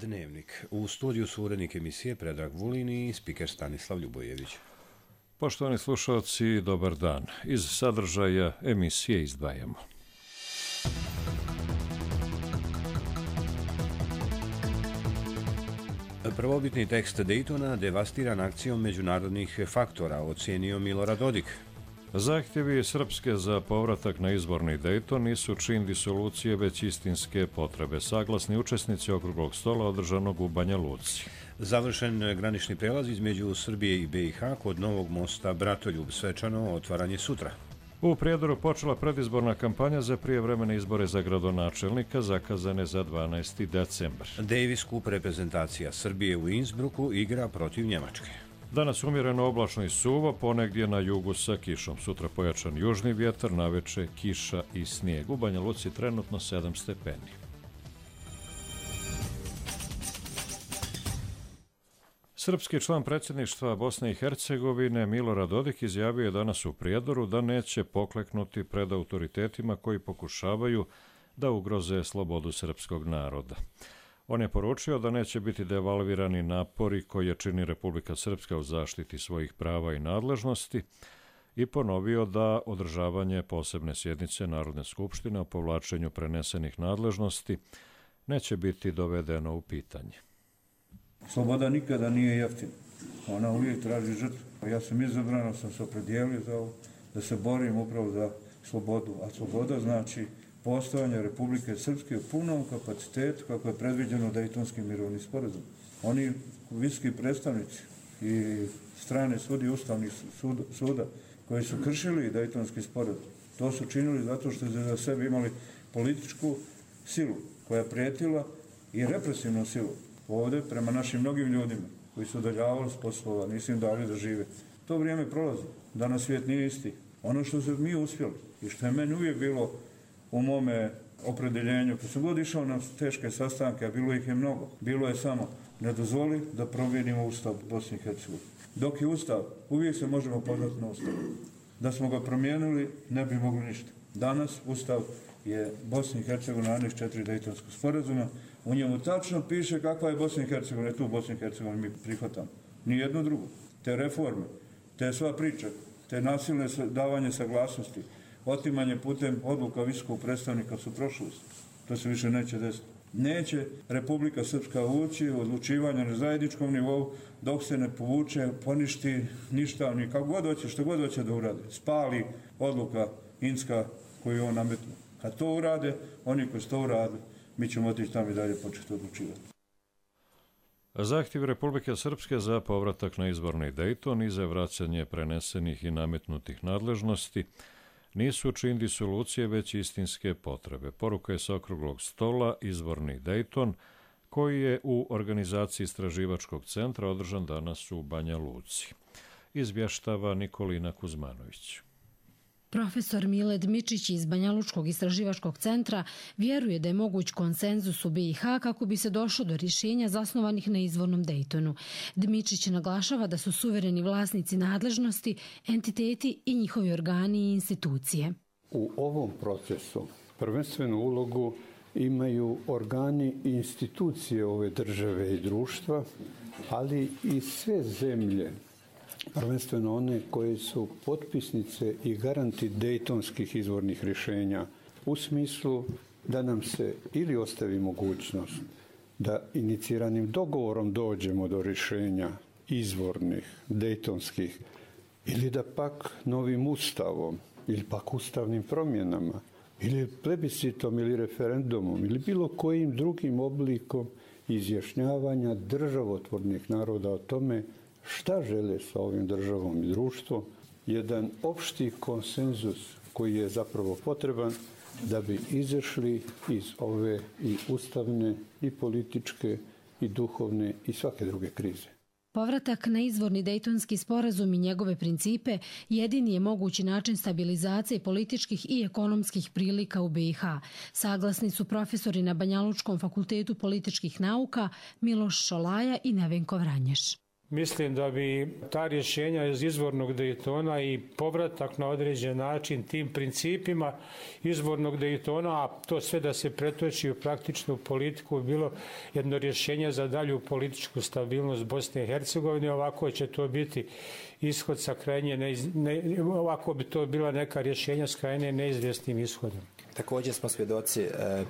Dnevnik. U studiju su urednik emisije Predrag Vulin i spiker Stanislav Ljubojević. Poštovani slušalci, dobar dan. Iz sadržaja emisije izdvajamo. Prvobitni tekst Daytona devastiran akcijom međunarodnih faktora, ocijenio Milorad Dodik. Zahtjevi Srpske za povratak na izborni Dayton nisu čin disolucije, već istinske potrebe, saglasni učesnici okruglog stola održanog u Banja Luci. Završen granični prelaz između Srbije i BiH kod novog mosta Bratoljub, svečano otvaranje sutra. U Prijedoru počela predizborna kampanja za prijevremene izbore za gradonačelnika, zakazane za 12. decembar. Davis Cup reprezentacija Srbije u Innsbrucku igra protiv Njemačke. Danas umjereno oblačno i suvo, ponegdje na jugu sa kišom. Sutra pojačan južni vjetar, naveče kiša i snijeg. U Banja Luci trenutno 7 stepeni. Srpski član predsjedništva Bosne i Hercegovine Milorad Dodik izjavio je danas u Prijedoru da neće pokleknuti pred autoritetima koji pokušavaju da ugroze slobodu srpskog naroda. On je poručio da neće biti devalvirani napori koje čini Republika Srpska u zaštiti svojih prava i nadležnosti i ponovio da održavanje posebne sjednice Narodne skupštine o povlačenju prenesenih nadležnosti neće biti dovedeno u pitanje. Sloboda nikada nije jeftina. Ona uvijek traži žrtvu. Ja sam izabran, sam se opredijelio za ovo, da se borim upravo za slobodu. A sloboda znači postojanje Republike Srpske u punom kapacitetu kako je predviđeno Dejtonskim mirovnim sporazumom. Oni visoki predstavnici i strane sudije Ustavnih suda koji su kršili Dejtonski sporazum, to su činili zato što su za sebe imali političku silu koja je prijetila i represivnu silu ovdje prema našim mnogim ljudima koji su udaljavali s poslova, nisu im dali da žive. To vrijeme prolazi. Danas svijet nije isti. Ono što su mi uspjeli i što je meni uvijek bilo u mome opredeljenju, kad sam god išao na teške sastanke, a bilo ih je mnogo, bilo je samo ne dozvoli da promijenimo Ustav Bosne i Hercegovine. Dok je Ustav, uvijek se možemo pozvati na Ustav. Da smo ga promijenili, ne bi mogli ništa. Danas Ustav je Bosna i Hercegovina aneks 4 Dejtonskog sporazuma. U njemu tačno piše kakva je Bosna i Hercegovina. Tu Bosna i Hercegovina mi prihvatamo. Nijedno drugo. Te reforme, te sva priča, te nasilne davanje saglasnosti, otimanje putem odluka visokog predstavnika su prošlost. To se više neće desiti. Neće Republika Srpska ući u odlučivanje na zajedničkom nivou dok se ne povuče, poništi ništa, ni kako god hoće, što god hoće da urade. Spali odluka Inska koju on nametnu. Kad to urade, oni koji su to uradili, mi ćemo otići tamo i dalje početi odlučivati. Zahtjev Republike Srpske za povratak na izborni Dayton i za vraćanje prenesenih i nametnutih nadležnosti nisu čin disolucije, već istinske potrebe. Poruka je sa okruglog stola izborni Dayton, koji je u organizaciji Istraživačkog centra održan danas u Banja Luci. Izvještava Nikolina Kuzmanović. Profesor Mile Dmičić iz Banjalučkog istraživačkog centra vjeruje da je moguć konsenzus u BiH kako bi se došlo do rješenja zasnovanih na izvornom Dejtonu. Dmičić naglašava da su suvereni vlasnici nadležnosti, entiteti i njihovi organi i institucije. U ovom procesu prvenstvenu ulogu imaju organi i institucije ove države i društva, ali i sve zemlje, prvenstveno one koje su potpisnice i garanti dejtonskih izvornih rješenja, u smislu da nam se ili ostavi mogućnost da iniciranim dogovorom dođemo do rješenja izvornih, dejtonskih, ili da pak novim ustavom, ili pak ustavnim promjenama, ili plebiscitom ili referendumom, ili bilo kojim drugim oblikom izjašnjavanja državotvornih naroda o tome šta žele sa ovim državom i društvom, jedan opšti konsenzus koji je zapravo potreban da bi izašli iz ove i ustavne, i političke, i duhovne, i svake druge krize. Povratak na izvorni Dejtonski sporazum i njegove principe jedini je mogući način stabilizacije političkih i ekonomskih prilika u BiH. Saglasni su profesori na Banjalučkom fakultetu političkih nauka Miloš Šolaja i Nevenko Vranješ. Mislim da bi ta rješenja iz izvornog Daytona i povratak na određen način tim principima izvornog Daytona, a to sve da se pretoči u praktičnu politiku, bilo jedno rješenje za dalju političku stabilnost Bosne i Hercegovine. Ovako će to biti ishod sa krajnje, ovako bi to bila neka rješenja s krajnje neizvjesnim ishodom. Također smo svjedoci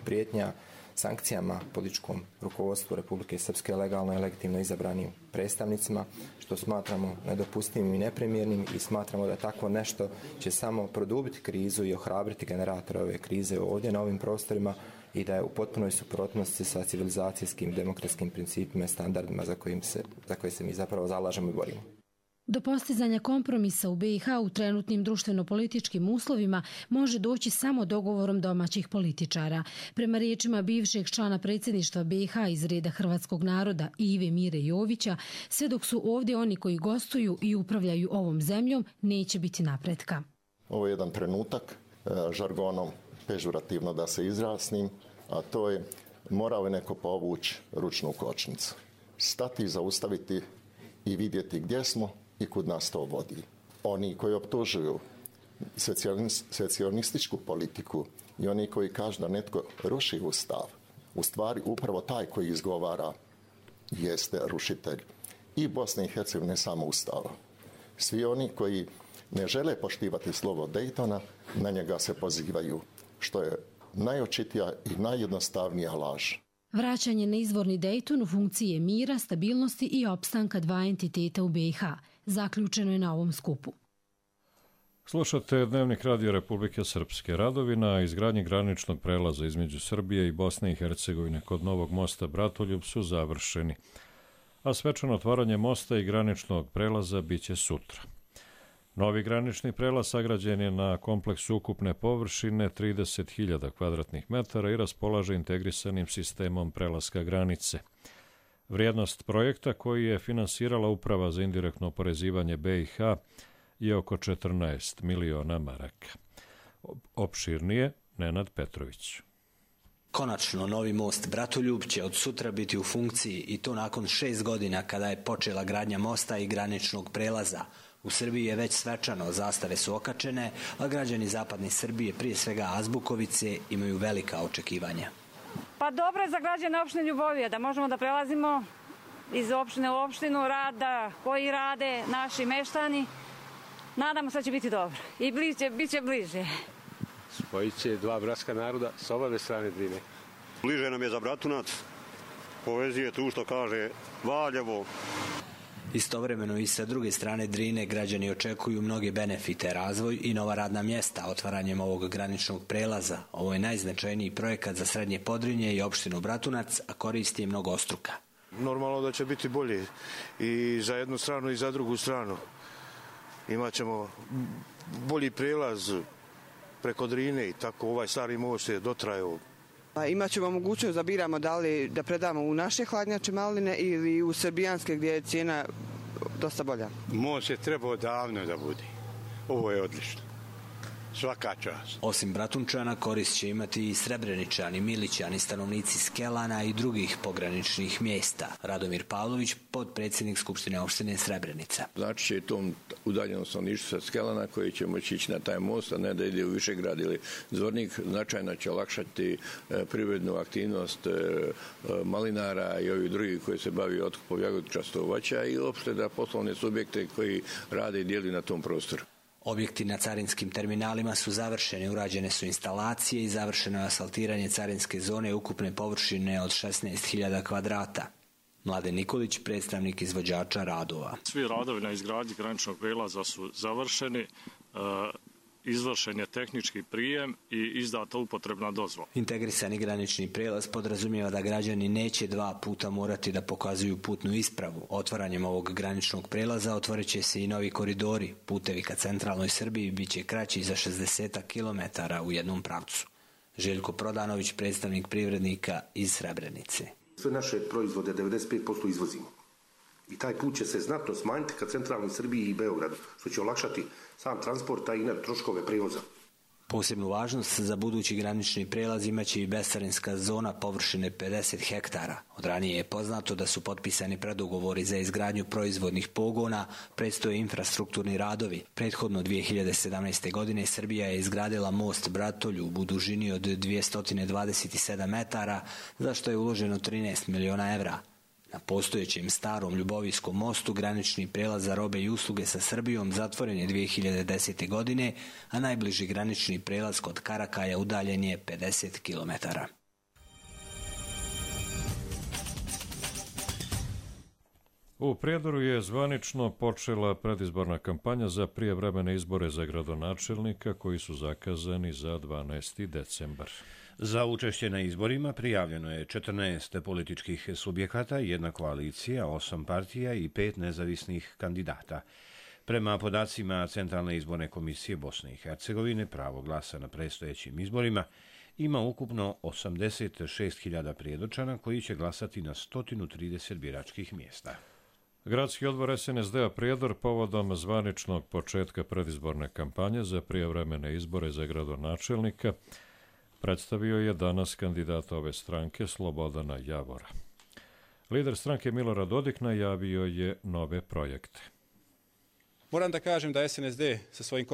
prijetnja sankcijama političkom rukovodstvu Republike Srpske legalno i legitimno izabranim predstavnicima, što smatramo nedopustivim i neprimjernim i smatramo da tako nešto će samo produbiti krizu i ohrabriti generatore ove krize ovdje na ovim prostorima i da je u potpunoj suprotnosti sa civilizacijskim demokratskim principima i standardima za koje se mi zapravo zalažemo i borimo. Do postizanja kompromisa u BiH u trenutnim društveno-političkim uslovima može doći samo dogovorom domaćih političara. Prema riječima bivšeg člana predsjedništva BiH iz reda hrvatskog naroda Ive Mire Jovića, sve dok su ovdje oni koji gostuju i upravljaju ovom zemljom, neće biti napretka. Ovo je jedan trenutak, žargonom pežurativno da se izjasnim, a to je morao je neko povući ručnu kočnicu. Stati, zaustaviti i vidjeti gdje smo i kud nas to vodi. Oni koji optužuju secesionističku politiku i oni koji kažu da netko ruši ustav, u stvari upravo taj koji izgovara jeste rušitelj i Bosne i Hercegovine samo ustava. Svi oni koji ne žele poštivati slovo Daytona, na njega se pozivaju, što je najočitija i najjednostavnija laž. Vraćanje na izvorni Dayton u funkciji je mira, stabilnosti i opstanka dva entiteta u BiH. Zaključeno je na ovom skupu. Slušate Dnevnik Radio Republike Srpske. Radovi na izgradnji graničnog prelaza između Srbije i Bosne i Hercegovine kod novog mosta Bratoljub su završeni, a svečano otvaranje mosta i graničnog prelaza biće sutra. Novi granični prelaz sagrađen je na kompleksu ukupne površine 30.000 kvadratnih metara i raspolaže integrisanim sistemom prelaska granice. Vrijednost projekta koji je finansirala Uprava za indirektno oporezivanje BiH je oko 14 miliona maraka. Opširnije Nenad Petrović. Konačno, novi most Bratoljub će od sutra biti u funkciji i to nakon 6 godina kada je počela gradnja mosta i graničnog prelaza. U Srbiji je već svečano, zastave su okačene, a građani zapadne Srbije, prije svega Azbukovice, imaju velika očekivanja. Pa dobro je za građane opštine Ljubovija da možemo da prelazimo iz opštine u opštinu, rada koji rade naši meštani. Nadamo se da će biti dobro i bit će bliže. Spojit će dva bratska naroda s obave strane Drine. Bliže nam je za Bratunac, povezuje tu što kaže Valjevo. Istovremeno i sa druge strane Drine građani očekuju mnoge benefite, razvoj i nova radna mjesta otvaranjem ovog graničnog prelaza. Ovo je najznačajniji projekat za Srednje Podrinje i opštinu Bratunac, a koristi je mnogostruka. Normalno da će biti bolje i za jednu stranu i za drugu stranu. Imaćemo bolji prelaz preko Drine i tako ovaj stari most je dotrajao. Imaćemo mogućnost da biramo da li da predamo u naše hladnjače maline ili u srbijanske gdje je cijena dosta bolja. Most je trebao davno da bude. Ovo je odlično. Svaka čast. Osim Bratunčana korist će imati i Srebreničani, Milićani, stanovnici Skelana i drugih pograničnih mjesta. Radomir Pavlović, potpredsjednik Skupštine opštine Srebrenica. Znači će tom udaljenom stanovništvu sa Skelana koji će moći ići na taj most, a ne da ide u Višegrad ili Zvornik, značajno će olakšati privrednu aktivnost malinara i ovih drugih koji se bavi otkupom jagodičastog voća i uopšte da poslovne subjekte koji rade i dijeli na tom prostoru. Objekti na carinskim terminalima su završeni, urađene su instalacije i završeno je asfaltiranje carinske zone ukupne površine od 16.000 kvadrata. Mladen Nikolić, predstavnik izvođača radova. Svi radovi na izgradnji graničnog prelaza su završeni, izvršen je tehnički prijem i izdata upotrebna dozvola. Integrisani granični prelaz podrazumijeva da građani neće 2 puta morati da pokazuju putnu ispravu. Otvaranjem ovog graničnog prelaza otvorit će se i novi koridori. Putevi ka centralnoj Srbiji bit će kraći za 60 km u jednom pravcu. Željko Prodanović, predstavnik privrednika iz Srebrenice. Sve naše proizvode 95% izvozimo. I taj put će se znatno smanjiti ka centralnoj Srbiji i Beogradu, što će olakšati sam transport, a i troškove prijevoza. Posebnu važnost za budući granični prijelaz imaće i bescarinska zona površine 50 hektara. Od ranije je poznato da su potpisani predugovori za izgradnju proizvodnih pogona, predstoje infrastrukturni radovi. Prethodno 2017. godine Srbija je izgradila most Bratoljub u dužini od 227 metara, za što je uloženo 13 miliona evra. Na postojećem starom Ljubovijskom mostu granični prijelaz za robe i usluge sa Srbijom zatvoren je 2010. godine, a najbliži granični prijelaz kod Karakaja udaljen je 50 kilometara. U Prijedoru je zvanično počela predizborna kampanja za prijevremene izbore za gradonačelnika koji su zakazani za 12. decembar. Za učešće na izborima prijavljeno je 14 političkih subjekata, 1 koalicija, 8 partija i 5 nezavisnih kandidata. Prema podacima Centralne izborne komisije Bosne i Hercegovine, pravo glasa na predstojećim izborima ima ukupno 86.000 prijedočana koji će glasati na 130 biračkih mjesta. Gradski odbor SNSD-a Prijedor povodom zvaničnog početka predizborne kampanje za prijevremene izbore za gradonačelnika predstavio je danas kandidata ove stranke Slobodana Javora. Lider stranke Milorad Dodik najavio je nove projekte. Moram da kažem da SNSD sa svojim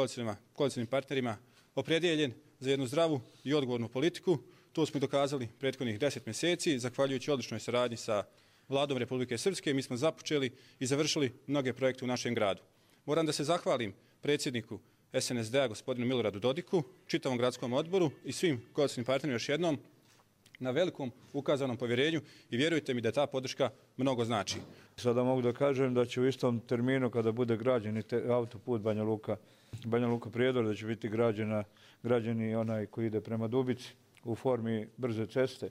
koalicijnim partnerima opredijeljen za jednu zdravu i odgovornu politiku. To smo dokazali prethodnih 10 mjeseci, zahvaljujući odličnoj saradnji sa Vladom Republike Srpske. Mi smo započeli i završili mnoge projekte u našem gradu. Moram da se zahvalim predsjedniku SNSD-a gospodinu Miloradu Dodiku, čitavom gradskom odboru i svim koalicijnim partnerima još jednom na velikom ukazanom povjerenju i vjerujte mi da ta podrška mnogo znači. Sada mogu da kažem da će u istom terminu kada bude građen autoput Banja Luka Prijedor, da će biti građeni onaj koji ide prema Dubici u formi brze ceste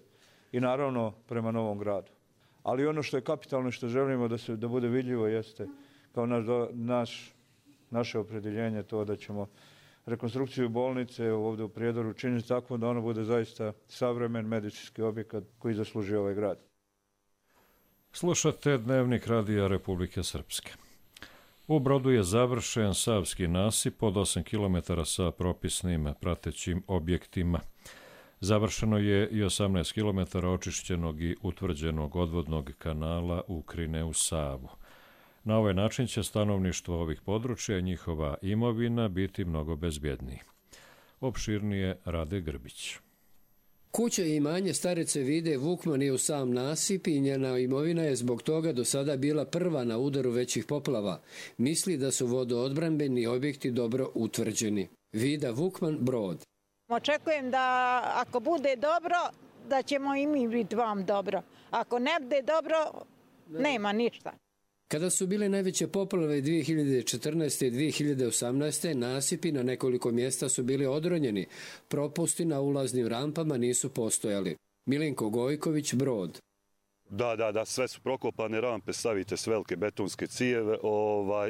i naravno prema Novom Gradu. Ali ono što je kapitalno i što želimo da bude vidljivo jeste kao naše opredjeljenje to da ćemo rekonstrukciju bolnice ovdje u Prijedoru učiniti tako da ono bude zaista savremen medicinski objekat koji zaslužuje ovaj grad. Slušate Dnevnik Radija Republike Srpske. U Brodu je završen Savski nasip od 8 km sa propisnim pratećim objektima. Završeno je i 18 km očišćenog i utvrđenog odvodnog kanala Ukrine u Savu. Na ovaj način će stanovništvo ovih područja i njihova imovina biti mnogo bezbjedniji. Opširnije Rade Grbić. Kuća i imanje starice Vide Vukman je u sam nasip i njena imovina je zbog toga do sada bila prva na udaru većih poplava. Misli da su vodoodbrambeni objekti dobro utvrđeni. Vida Vukman, Brod. Očekujem da ako bude dobro, da ćemo i mi biti vam dobro. Ako ne bude dobro, nema ništa. Kada su bile najveće poplave 2014. i 2018. nasipi na nekoliko mjesta su bili odronjeni. Propusti na ulaznim rampama nisu postojali. Milenko Gojković, Brod. Da, sve su prokopane rampe, stavite s velike betonske cijeve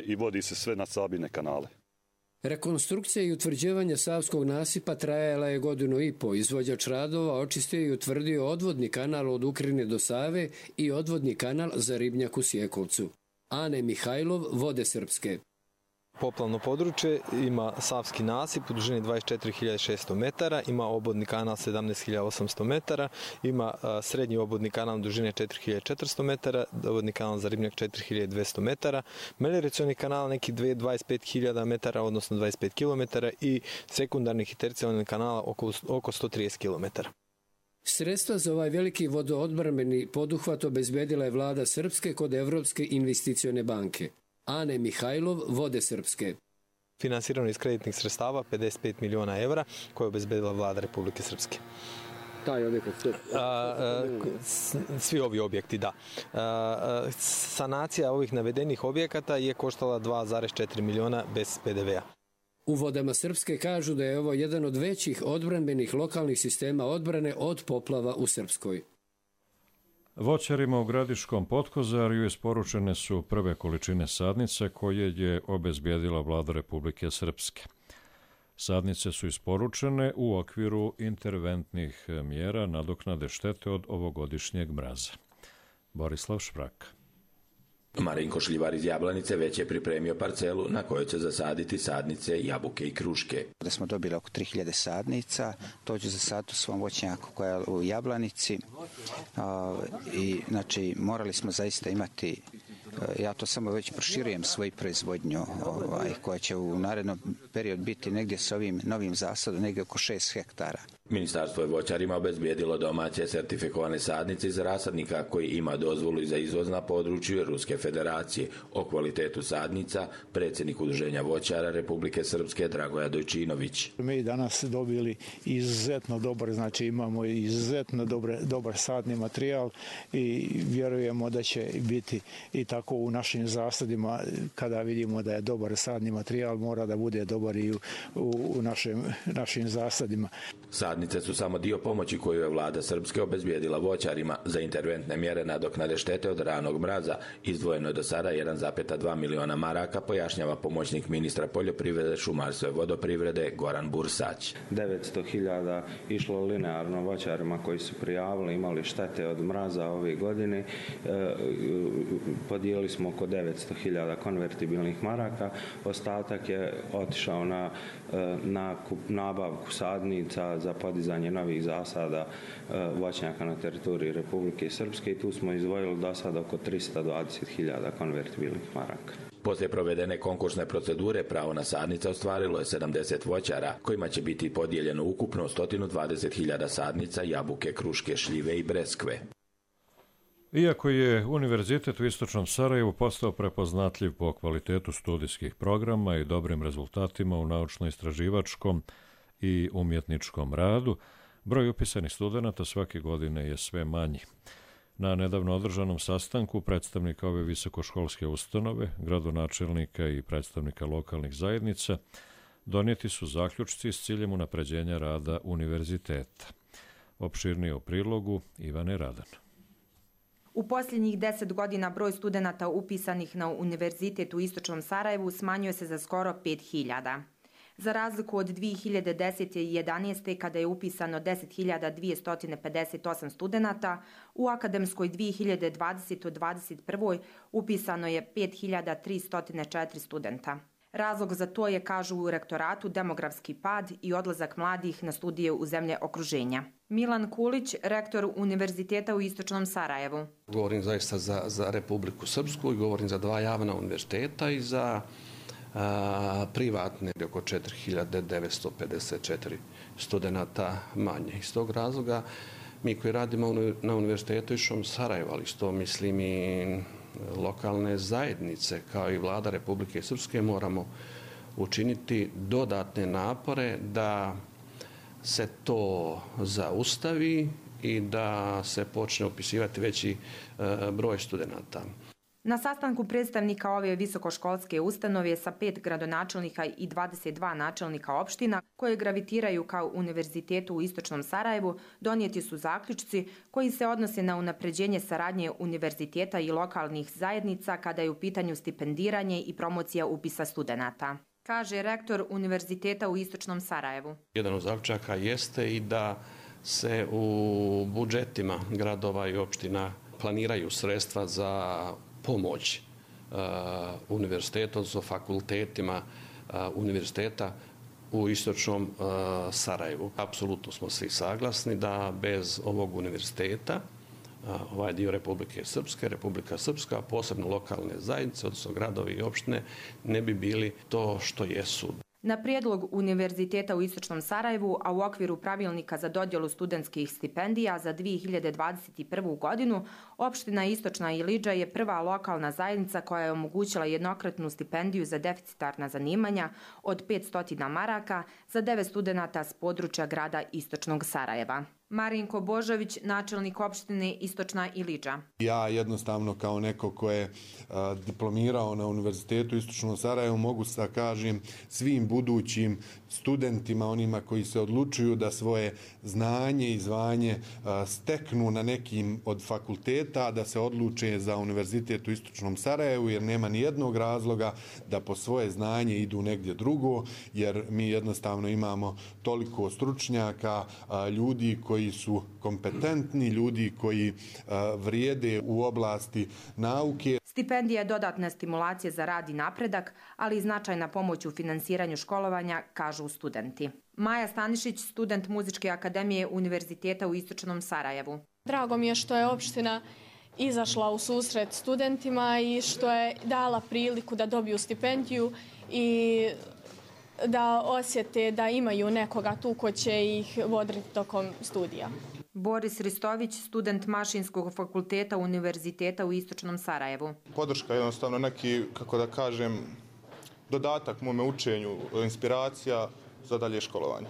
i vodi se sve na Sabine kanale. Rekonstrukcija i utvrđivanje Savskog nasipa trajala je 1,5 godinu. Izvođač radova očistio i utvrdio odvodni kanal od Ukrine do Save i odvodni kanal za Ribnjak u Sjekovcu. Ane Mihajlov, Vode Srpske. Poplavno područje ima Savski nasip u dužini 24.600 metara, ima obodni kanal 17.800 metara, ima srednji obodni kanal u dužini 4.400 metara, obodni kanal za Ribnjak 4.200 metara, melioracioni kanal neki 25.000 metara, odnosno 25 km i sekundarnih i tercijalnih kanala oko 130 km. Sredstva za ovaj veliki vodoodbrambeni poduhvat obezbedila je vlada Srpske kod Evropske investicione banke. Ane Mihajlov, Vode Srpske. Finansirano iz kreditnih sredstava 55 miliona evra koje je obezbedila vlada Republike Srpske. Taj objekat? Svi ovi objekti, da. Sanacija ovih navedenih objekata je koštala 2,4 miliona bez PDV-a. U Vodama Srpske kažu da je ovo jedan od većih odbrambenih lokalnih sistema odbrane od poplava u Srpskoj. Voćarima u Gradiškom Potkozarju isporučene su prve količine sadnice koje je obezbijedila vlada Republike Srpske. Sadnice su isporučene u okviru interventnih mjera nadoknade štete od ovogodišnjeg mraza. Borislav Šprak. Marinko Šljivar iz Jablanice već je pripremio parcelu na kojoj će zasaditi sadnice, jabuke i kruške. Da smo dobili oko 3000 sadnica, to ću zasaditi u svom voćnjaku koja je u Jablanici i znači morali smo zaista imati, ja to samo već proširujem svoju proizvodnju koja će u narednom periodu biti negdje s ovim novim zasadom negdje oko 6 hektara. Ministarstvo je voćarima obezbijedilo domaće sertifikovane sadnice iz rasadnika koji ima dozvolu i za izvoz na području Ruske federacije. O kvalitetu sadnica predsjednik Udruženja voćara Republike Srpske Dragoja Dojčinović. Mi danas dobili izuzetno dobar, znači imamo izuzetno dobar sadni materijal i vjerujemo da će biti i tako u našim zasadima. Kada vidimo da je dobar sadni materijal, mora da bude dobar i u našim zasadima. Sadnice su samo dio pomoći koju je vlada Srpske obezbijedila voćarima za interventne mjere nadoknade štete od ranog mraza. Izdvojeno je do sada 1,2 miliona maraka, pojašnjava pomoćnik ministra poljoprivrede, šumarstva i vodoprivrede Goran Bursać. 900.000 išlo linearno voćarima koji su prijavili, imali štete od mraza ove godine. Podijelili smo oko 900.000 konvertibilnih maraka. Ostatak je otišao na nabavku sadnica za podizanje novih zasada voćnjaka na teritoriji Republike Srpske i tu smo izdvojili do sada oko 320.000 konvertibilnih maraka. Poslije provedene konkursne procedure pravo na sadnice ostvarilo je 70 voćara, kojima će biti podijeljeno ukupno 120.000 sadnica, jabuke, kruške, šljive i breskve. Iako je Univerzitet u Istočnom Sarajevu postao prepoznatljiv po kvalitetu studijskih programa i dobrim rezultatima u naučno-istraživačkom i umjetničkom radu, broj upisanih studenata svake godine je sve manji. Na nedavno održanom sastanku predstavnika ove visokoškolske ustanove, gradonačelnika i predstavnika lokalnih zajednica, donijeti su zaključci s ciljem unapređenja rada univerziteta. Opširnije u prilogu Ivane Radan. U posljednjih 10 godina broj studenata upisanih na Univerzitet u Istočnom Sarajevu smanjuje se za skoro 5.000. Za razliku od 2010. i 2011. kada je upisano 10.258 studenata, u akademskoj 2020-2021. upisano je 5.304 studenta. Razlog za to je, kažu u rektoratu, demografski pad i odlazak mladih na studije u zemlje okruženja. Milan Kulić, rektor Univerziteta u Istočnom Sarajevu. Govorim zaista za Republiku Srpsku i govorim za 2 javna univerziteta i za privatne oko 4.954 studenta manje. Iz tog razloga mi koji radimo na Univerzitetu Istočnom Sarajevu, ali što mislim i lokalne zajednice kao i vlada Republike Srpske moramo učiniti dodatne napore da se to zaustavi i da se počne upisivati veći broj studenata. Na sastanku predstavnika ove visokoškolske ustanove sa 5 gradonačelnika i 22 načelnika opština koje gravitiraju kao Univerzitetu u Istočnom Sarajevu donijeti su zaključci koji se odnose na unapređenje saradnje univerziteta i lokalnih zajednica kada je u pitanju stipendiranje i promocija upisa studenata. Kaže rektor Univerziteta u Istočnom Sarajevu. Jedan od zaključaka jeste i da se u budžetima gradova i opština planiraju sredstva za pomoć univerzitetu, odnosno fakultetima univerziteta u Istočnom Sarajevu. Apsolutno smo svi saglasni da bez ovog univerziteta, ovaj dio Republike Srpske, Republika Srpska, posebno lokalne zajednice, odnosno gradovi i opštine, ne bi bili to što jesu. Na prijedlog Univerziteta u Istočnom Sarajevu, a u okviru pravilnika za dodjelu studentskih stipendija za 2021. godinu, opština Istočna Ilidža je prva lokalna zajednica koja je omogućila jednokratnu stipendiju za deficitarna zanimanja od 500 maraka za 9 studenata s područja grada Istočnog Sarajeva. Marinko Božović, načelnik opštine Istočna Ilidža. Ja jednostavno kao neko ko je diplomirao na Univerzitetu Istočnom Sarajevu mogu da kažem svim budućim studentima, onima koji se odlučuju da svoje znanje i zvanje steknu na nekim od fakulteta, da se odluče za Univerzitet u Istočnom Sarajevu, jer nema ni jednog razloga da po svoje znanje idu negdje drugo, jer mi jednostavno imamo toliko stručnjaka, ljudi koji koji su kompetentni, ljudi koji vrijede u oblasti nauke. Stipendija je dodatna stimulacija za rad i napredak, ali i značajna pomoć u finansiranju školovanja, kažu studenti. Maja Stanišić, student Muzičke akademije Univerziteta u Istočnom Sarajevu. Drago mi je što je opština izašla u susret studentima i što je dala priliku da dobiju stipendiju i da osjete da imaju nekoga tu ko će ih voditi tokom studija. Boris Ristović, student Mašinskog fakulteta Univerziteta u Istočnom Sarajevu. Podrška je jednostavno neki, kako da kažem, dodatak mome učenju, inspiracija za dalje školovanje.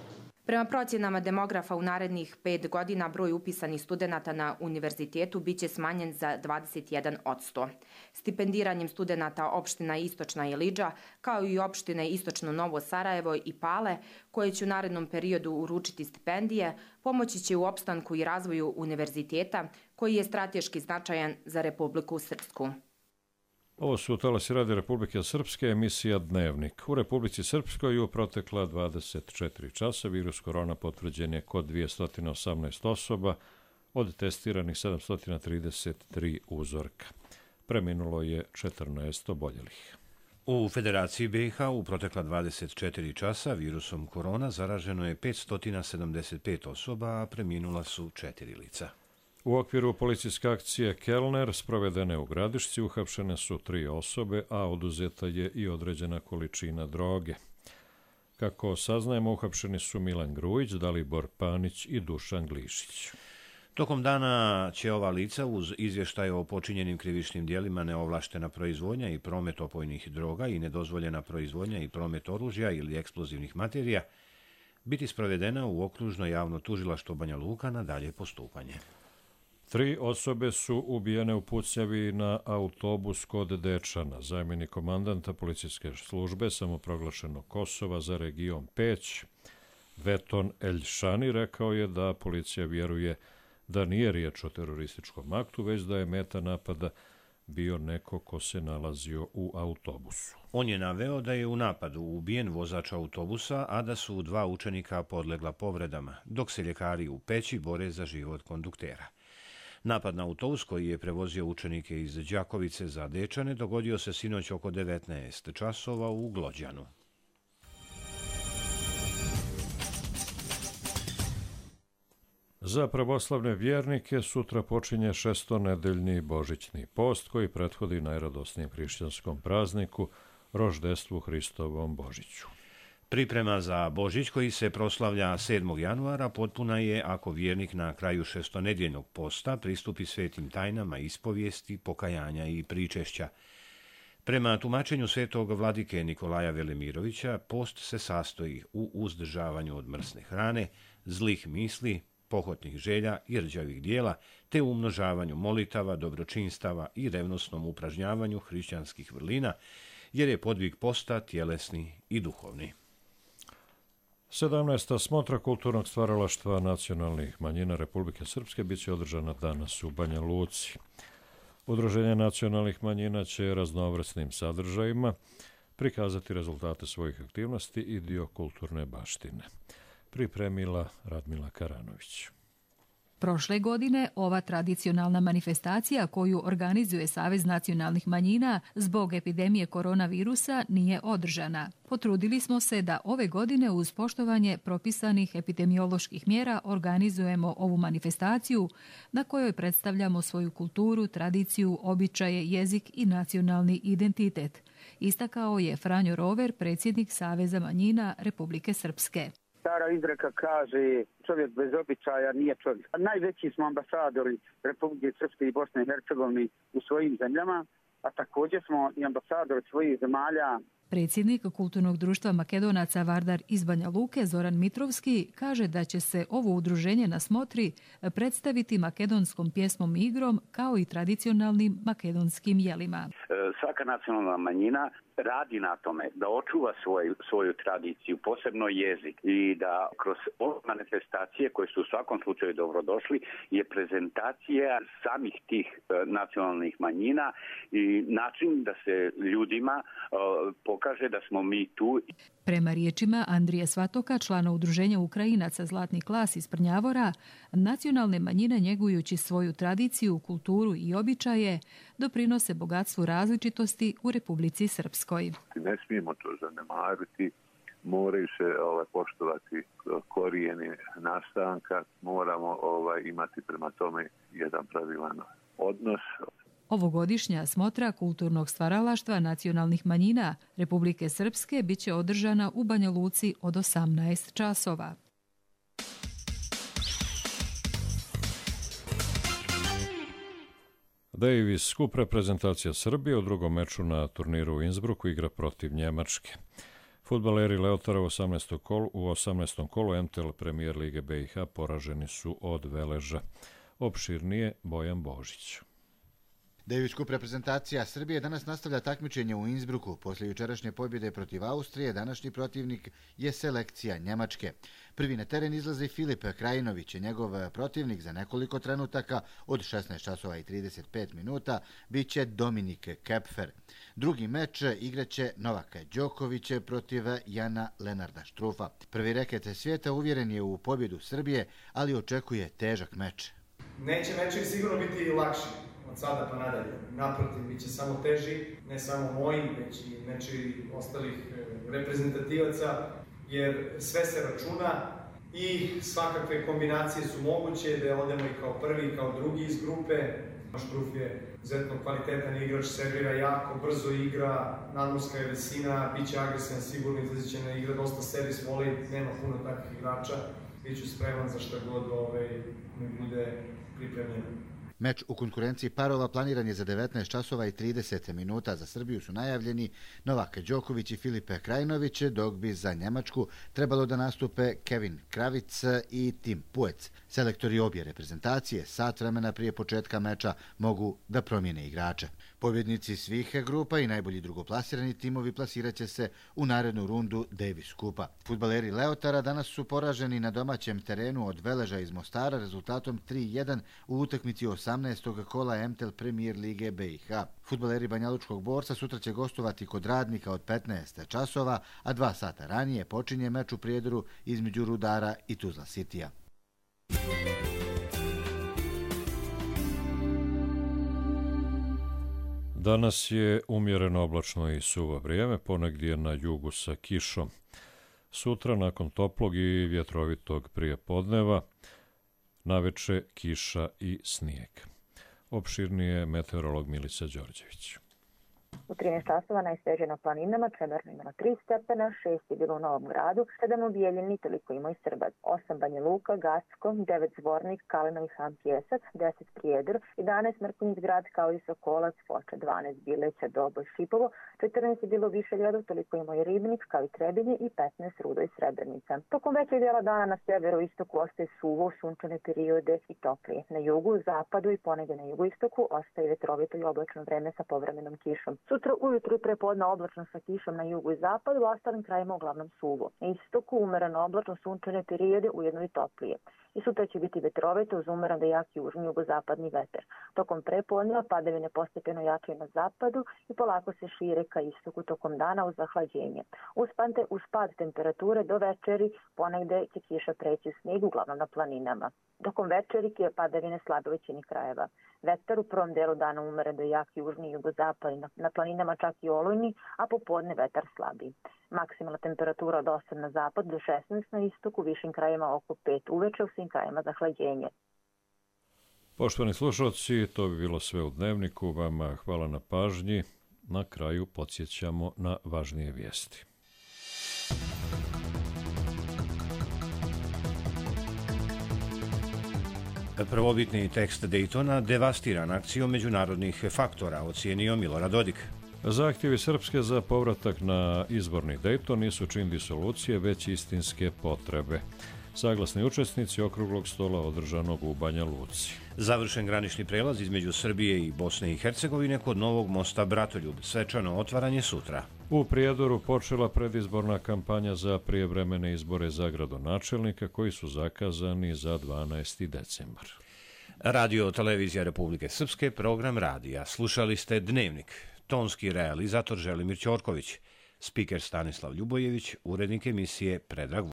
Prema procjenama demografa u narednih 5 godina broj upisanih studenata na univerzitetu biće smanjen za 21%. Stipendiranjem studenata opština Istočna Ilidža, kao i opštine Istočno Novo Sarajevo i Pale, koje će u narednom periodu uručiti stipendije, pomoći će u opstanku i razvoju univerziteta, koji je strateški značajan za Republiku Srpsku. Ovo su talasi Radi Republike Srpske, emisija Dnevnik. U Republici Srpskoj u protekla 24 časa virus korona potvrđen je kod 218 osoba, od testiranih 733 uzorka. Preminulo je 14 oboljelih. U Federaciji BiH u protekla 24 časa virusom korona zaraženo je 575 osoba, a preminula su 4 lica. U okviru policijske akcije Kelner sprovedene u Gradišci uhapšene su 3 osobe, a oduzeta je i određena količina droge. Kako saznajemo, uhapšeni su Milan Grujić, Dalibor Panić i Dušan Glišić. Tokom dana će ova lica uz izvještaj o počinjenim krivičnim dijelima neovlaštena proizvodnja i promet opojnih droga i nedozvoljena proizvodnja i promet oružja ili eksplozivnih materija biti sprovedena u okružno javno tužilaštvo Banja Luka na dalje postupanje. 3 osobe su ubijene u pucnjavi na autobus kod Dečana. Zamjenik komandanta policijske službe samoproglašenog Kosova za region Peć, Veton Eljšani, rekao je da policija vjeruje da nije riječ o terorističkom aktu, već da je meta napada bio neko ko se nalazio u autobusu. On je naveo da je u napadu ubijen vozač autobusa, a da su 2 učenika podlegla povredama, dok se ljekari u Peći bore za život konduktera. Napad na autobus koji je prevozio učenike iz Đakovice za Dečane dogodio se sinoć oko 19 časova u Glođanu. Za pravoslavne vjernike sutra počinje 6-nedeljni božićni post koji prethodi najradosnijem hrišćanskom prazniku, roždestvu Hristovom Božiću. Priprema za Božić koji se proslavlja 7. januara potpuna je ako vjernik na kraju 6-nedjeljnog posta pristupi svetim tajnama ispovijesti, pokajanja i pričešća. Prema tumačenju svetog vladike Nikolaja Velimirovića, post se sastoji u uzdržavanju od mrsne hrane, zlih misli, pohotnih želja i rđavih dijela, te umnožavanju molitava, dobročinstava i revnosnom upražnjavanju hrišćanskih vrlina, jer je podvig posta tjelesni i duhovni. 17. smotra kulturnog stvaralaštva nacionalnih manjina Republike Srpske bit će održana danas u Banja Luci. Udruženje nacionalnih manjina će raznovrsnim sadržajima prikazati rezultate svojih aktivnosti i dio kulturne baštine. Pripremila Radmila Karanović. Prošle godine ova tradicionalna manifestacija koju organizuje Savez nacionalnih manjina zbog epidemije koronavirusa nije održana. Potrudili smo se da ove godine uz poštovanje propisanih epidemioloških mjera organizujemo ovu manifestaciju na kojoj predstavljamo svoju kulturu, tradiciju, običaje, jezik i nacionalni identitet. Istakao je Franjo Rover, predsjednik Saveza manjina Republike Srpske. Stara izreka kaže čovjek bez običaja nije čovjek. Najveći smo ambasadori Republike Srpske i Bosne i Hercegovine u svojim zemljama, a također smo i ambasadori svojih zemalja. Predsjednik Kulturnog društva Makedonaca Vardar iz Banja Luke, Zoran Mitrovski, kaže da će se ovo udruženje na smotri predstaviti makedonskom pjesmom i igrom kao i tradicionalnim makedonskim jelima. Svaka nacionalna manjina radi na tome da očuva svoju tradiciju, posebno jezik, i da kroz ove manifestacije koje su u svakom slučaju dobrodošli je prezentacija samih tih nacionalnih manjina i način da se ljudima pokaže da smo mi tu. Prema riječima Andrije Svatoka, člana udruženja Ukrajinaca Zlatni klas iz Prnjavora, nacionalne manjine njegujući svoju tradiciju, kulturu i običaje doprinose bogatstvu različitosti u Republici Srpskoj. Ne smijemo to zanemariti, moraju se poštovati korijeni nastanka, moramo imati prema tome jedan pravilan odnos. Ovogodišnja smotra kulturnog stvaralaštva nacionalnih manjina Republike Srpske biće održana u Banja Luci od 18 časova. Davis Cup reprezentacija Srbije u drugom meču na turniru u Innsbrucku igra protiv Njemačke. Fudbaleri Leotara u 18. kolu MTL Premier Lige BiH poraženi su od Veleža. Opširnije Bojan Božić. Davis Cup reprezentacija Srbije danas nastavlja takmičenje u Innsbrucku. Poslije jučerašnje pobjede protiv Austrije, današnji protivnik je selekcija Njemačke. Prvi na teren izlazi Filip Krajinović, njegov protivnik za nekoliko trenutaka od 16 časova i 35 minuta biće Dominik Kepfer. Drugi meč igraće Novak Đoković protiv Jana Lenarda Štrufa. Prvi reket svijeta uvjeren je u pobjedu Srbije, ali očekuje težak meč. Neće mečevi sigurno biti lakši od sada pa nadalje. Naprotiv, bit će samo teži, ne samo moji, već i mečevi ostalih reprezentativaca, jer sve se računa i svakakve kombinacije su moguće, da odemo i kao prvi i kao drugi iz grupe. Štruf je izuzetno kvalitetan igrač, servira jako, brzo igra, nadmorska je visina, bit će agresivan, sigurno izlaziće na igra, dosta servis voli, nema puno takvih igrača. Biću spreman za šta god mi bude pripremljeno. Meč u konkurenciji parova planiran je za 19 časova i 30 minuta. Za Srbiju su najavljeni Novak Đoković i Filipe Krajinović, dok bi za Njemačku trebalo da nastupe Kevin Kravic i Tim Puec. Selektori obje reprezentacije sat vremena prije početka meča mogu da promijene igrače. Pobjednici svih grupa i najbolji drugoplasirani timovi plasirat će se u narednu rundu Davis Cupa. Fudbaleri Leotara danas su poraženi na domaćem terenu od Veleža iz Mostara rezultatom 3-1 u utakmici 18. kola MTL Premier Lige BiH. Fudbaleri Banjalučkog Borca sutra će gostovati kod Radnika od 15 časova, a 2 sata ranije počinje meč u Prijedoru između Rudara i Tuzla Citya. Danas je umjereno oblačno i suvo vrijeme, ponegdje na jugu sa kišom. Sutra, nakon toplog i vjetrovitog prijepodneva, naveče kiša i snijeg. Opširnije meteorolog Milica Đorđević. U 13 časova najsveže na planinama, Čemerno imalo 3 stepena, 6 je bilo u Novom Gradu, 7 u Bijeljini, toliko ima i Srbac, 8 Banja Luka, Gacko, 9 Zvornik, Kalinovi Han Pjesac, 10 Prijedor, 11 Mrkonjić Grad kao i Sokolac, Foča, 12 Bileća, Doboj, Šipovo, 14 je bilo Višeljadov, toliko ima i Ribnik kao i Trebinje i 15 Rudo i Srebrenica. Tokom većeg dijela dana na severoistoku ostaje suvo, sunčane periode i toplije. Na jugu, zapadu i ponegdje na jugoistoku ostaje vetrovito i oblačno vreme sa povremenom kišom. Sutra ujutru i prepodne oblačno sa kišom na jugu i zapadu, u ostalim krajima uglavnom suvo. Na istoku umereno oblačno sunčane periode, ujedno i toplije. I sutra će biti vetrovito uz umeran da jak južni jugozapadni vetar. Tokom prepodneva padavine postepeno jačaju na zapadu i polako se šire ka istoku tokom dana uz zahlađenje. Uz pad temperature do večeri ponegde će kiša preći u snijeg, uglavnom na planinama. Tokom večeri je padavine slabe u većini krajeva. Vetar u prvom delu dana umeren do jak južni i jugozapadni, na planinama čak i olujni, a popodne vetar slabi. Maksimalna temperatura od 8 na zapad do 16 na istoku, višim krajima oko 5 uveče, u svim krajima zahlađenje. Poštovani slušalci, to bi bilo sve u Dnevniku. Vama hvala na pažnji. Na kraju podsjećamo na važnije vijesti. Prvobitni tekst Dejtona devastiran akcijom međunarodnih faktora, ocijenio Milorad Dodik. Zahtjevi Srpske za povratak na izborni Dejton nisu čin disolucije, već istinske potrebe. saglasni učesnici okruglog stola održanog u Banja Luci. Završen granični prelaz između Srbije i Bosne i Hercegovine kod Novog mosta Bratoljub. Svečano otvaranje sutra. U Prijedoru počela predizborna kampanja za prijevremene izbore za gradonačelnika koji su zakazani za 12. decembar. Radio Televizija Republike Srpske, program radija. Slušali ste Dnevnik. Tonski realizator Želimir Ćorković. Spiker Stanislav Ljubojević, urednik emisije Predrag